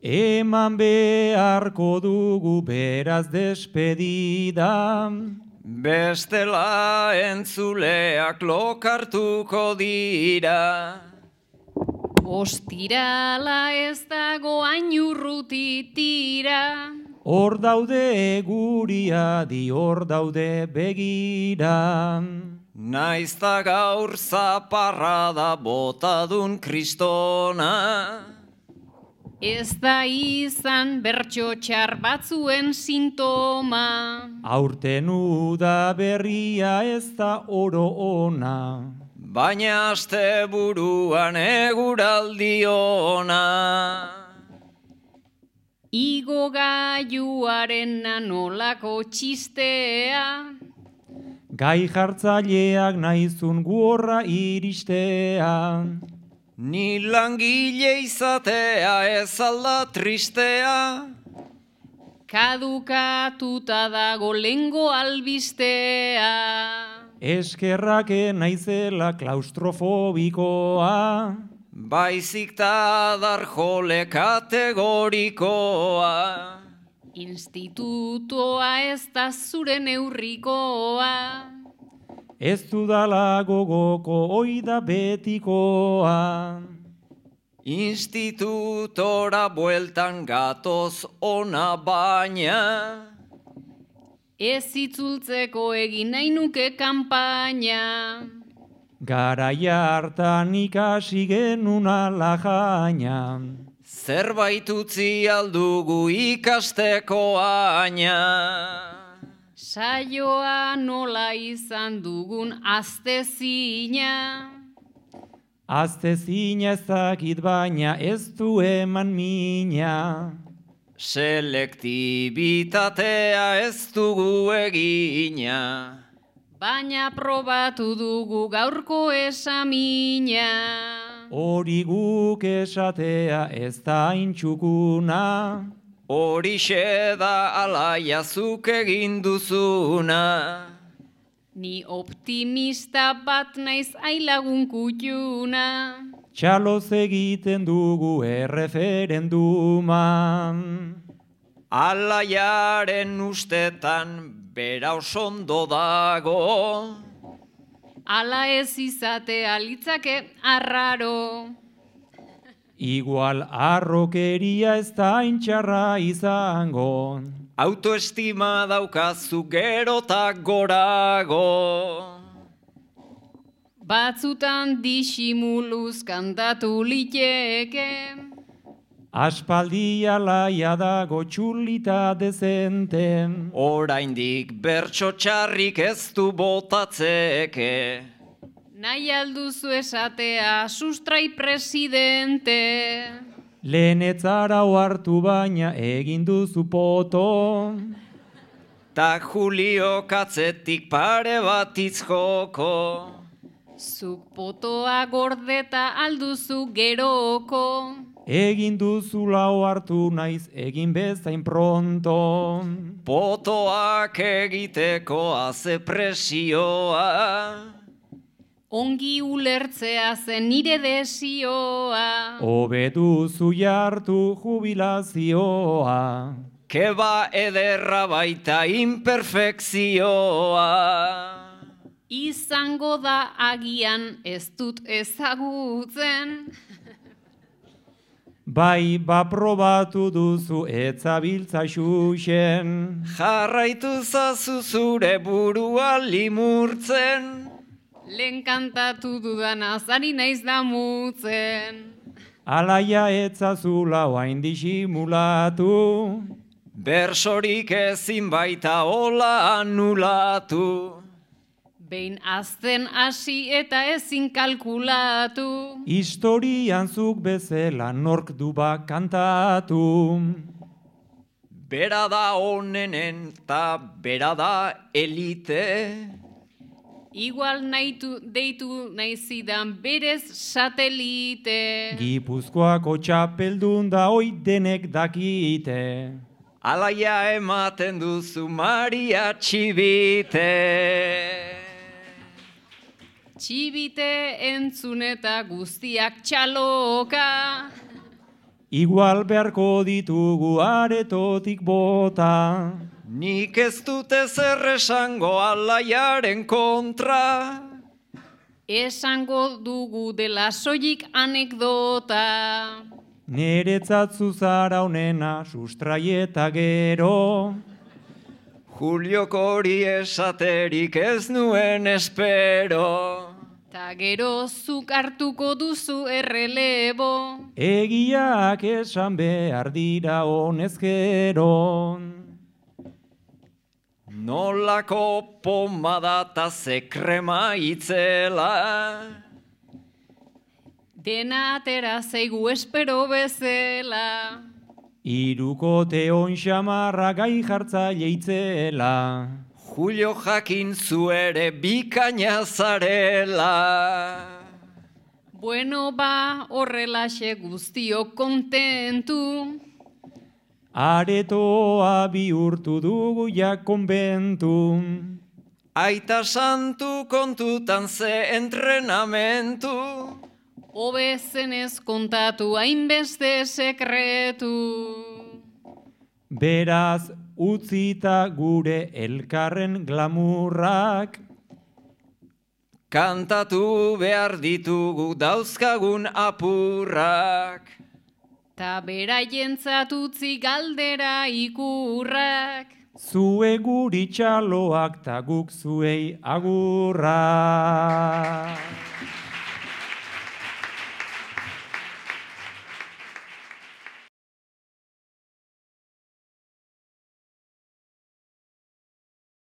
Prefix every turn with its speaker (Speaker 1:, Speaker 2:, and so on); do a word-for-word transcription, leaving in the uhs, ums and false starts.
Speaker 1: Eman beharko dugu beraz despedida.
Speaker 2: Bestela entzuleak lokartuko dira.
Speaker 3: Ostirala ez dago hain urrutitira.
Speaker 1: Hor daude guria di hor daude begira.
Speaker 2: Naizta gaur zaparrada botadun kristona.
Speaker 3: Ez da izan bertso txar batzuen sintoma.
Speaker 1: Aurten uda berria ez da oro ona.
Speaker 2: Baina aste buruan eguraldi ona.
Speaker 3: Igo gaiuaren nolako txistea.
Speaker 1: Gai jartzaileak naizun guorra iristea.
Speaker 2: Ni langile izatea ez alda tristea.
Speaker 3: Kadukatuta dago lengo albistea.
Speaker 1: Eskerrak naizela klaustrofobikoa.
Speaker 2: Baizik ta darjole kategorikoa.
Speaker 3: Institutoa ez da zure neurrikoa.
Speaker 1: Ez dudala gogoko oida betikoa.
Speaker 2: Institutora bueltan gatoz ona baina.
Speaker 3: Ez itzultzeko egin nahi nuke kanpaina.
Speaker 1: Garaia hartan ikasi genuen alajaina.
Speaker 2: Zerbait utzi aldugu ikasteko aina.
Speaker 3: Saioa nola izan dugun aztezina.
Speaker 1: Aztezina ezakit baina ez du eman mina.
Speaker 2: Selektibitatea ez dugu egina.
Speaker 3: Baina probatu dugu gaurko esamina.
Speaker 1: Hori guk esatea ez da intxukuna.
Speaker 2: Horixe da alaia zuk egin duzuna.
Speaker 3: Ni optimista bat naiz ailagun kutxuna.
Speaker 1: Txaloz egiten dugu erreferenduman.
Speaker 2: Alaiaren ustetan bera osondo dago.
Speaker 3: Ala ez izatea litzake arraro.
Speaker 1: Igual arrokeria ez da intxarra izango.
Speaker 2: Autoestima daukazu gerotak gorago.
Speaker 3: Batzutan disimuluz kantatu liteke.
Speaker 1: Aspaldi alaia dago txulita dezente.
Speaker 2: Oraindik bertso txarrik ez du botatzeke.
Speaker 3: Nahi alduzu esatea sustrai presidente.
Speaker 1: Lehenetzara hartu baina egin duzu poto.
Speaker 2: Ta Julio katzetik pare bat itzjoko.
Speaker 3: Zuk potoa gordeta alduzu geroko.
Speaker 1: Egin duzu lau hartu naiz egin bezain pronto.
Speaker 2: Potoak egiteko haze presioa.
Speaker 3: Ongi ulertzea zen nire desioa.
Speaker 1: Hobe duzu jartu jubilazioa.
Speaker 2: Keba ederra baita imperfekzioa.
Speaker 3: Izango da agian ez dut ezagutzen.
Speaker 1: Bai, baprobatu duzu etzabiltza xuxen.
Speaker 2: Jarraitu zazu zure burua limurtzen.
Speaker 3: Lehen kantatu dudan azari naiz damutzen.
Speaker 1: Alaia etzazula oain disimulatu.
Speaker 2: Bersorik ezin baita hola anulatu.
Speaker 3: Behin azten hasi eta ezin kalkulatu.
Speaker 1: Historian zuk bezala nork du bak kantatu.
Speaker 2: Bera da onenen ta bera da elite.
Speaker 3: Igual nahitu, deitu naizidan berez satelite.
Speaker 1: Gipuzkoako txapeldun da oi denek dakite.
Speaker 2: Alaia ematen duzu Maria Txibite.
Speaker 3: Txibite entzun eta guztiak txaloka.
Speaker 1: igual beharko ditugu aretotik bota.
Speaker 2: Nik ez dute zer esango alaiaren kontra.
Speaker 3: Esango dugu dela soilik anekdota.
Speaker 1: Neretzat zuzara honena sustraieta gero.
Speaker 2: Juliok hori esaterik ez nuen espero.
Speaker 3: Ta gero zuk hartuko duzu errelebo.
Speaker 1: Egiak esan behar dira honezkero.
Speaker 2: Nolako pomada ta ze krema itzela.
Speaker 3: Dena atera zaigu espero bezela.
Speaker 1: Hirukote on xamarra gai jartzaile itzela.
Speaker 2: Julio jakin zu ere bikaina zarela.
Speaker 3: Bueno ba, horrelaxe guztiok kontentu.
Speaker 1: Aretoa bihurtu dugu ja konbentu.
Speaker 2: Aita santu kontutan ze entrenamentu.
Speaker 3: Hobezenez kontatu hainbeste sekretu.
Speaker 1: Beraz, utzita gure elkarren glamurrak.
Speaker 2: Kantatu behar ditugu dauzkagun apurrak.
Speaker 3: Ta beraientzat utzi galdera ikurrak.
Speaker 1: Zue guri txaloak ta guk zuei agurrak.